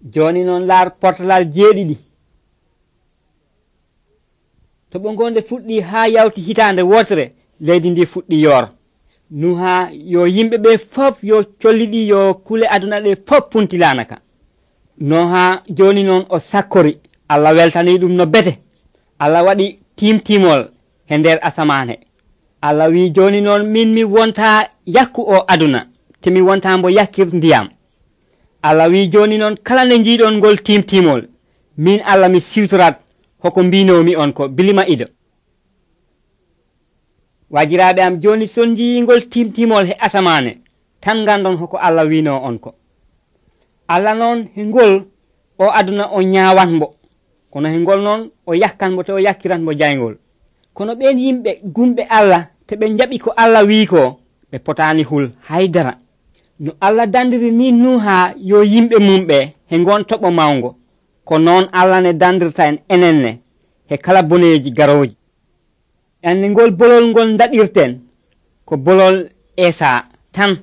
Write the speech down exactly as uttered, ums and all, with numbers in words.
joni noon laar portalal jeeɗiɗi to ɓongonde fuɗɗi ha yawti hitande wotere leydi ndi fuɗɗi yoor nuha yo yimɓe ɓe fof yo colliɗi yo kule aduna ɗe fof puntilanaka no ha joni noon o sakkori Allah weltani ɗum no bete Allah waɗi timtimol he nder asamane Allah wi joni noon min mi wonta yakku o aduna te mi wonta mbo yakkir ndiyam Allah wi joni noon kala nde jiiɗon ngol timtimol min Allah mi siwtorat hoko mbinomi on ko bilima ido wajiraɓe am joni son jiyingol timtimol he asamane tan gandon hoko Allah wino on ko Allah noon he ngol o aduna o ñawanmo kono he ngol noon o yakkanmo te o yakkiranmo jaygol kono ɓen yimɓe gumɓe Allah te ɓe jaɓi ko Allah wi ko ɓe potani hul haydara no Allah dandiri ni nuha yo yimɓe mumɓe he ngon toɓo mawngo ko noon Allah ne dandirta en enenne he kala boneji garoji enne ngol bolol ngol daɗirten ko bolol Esa tan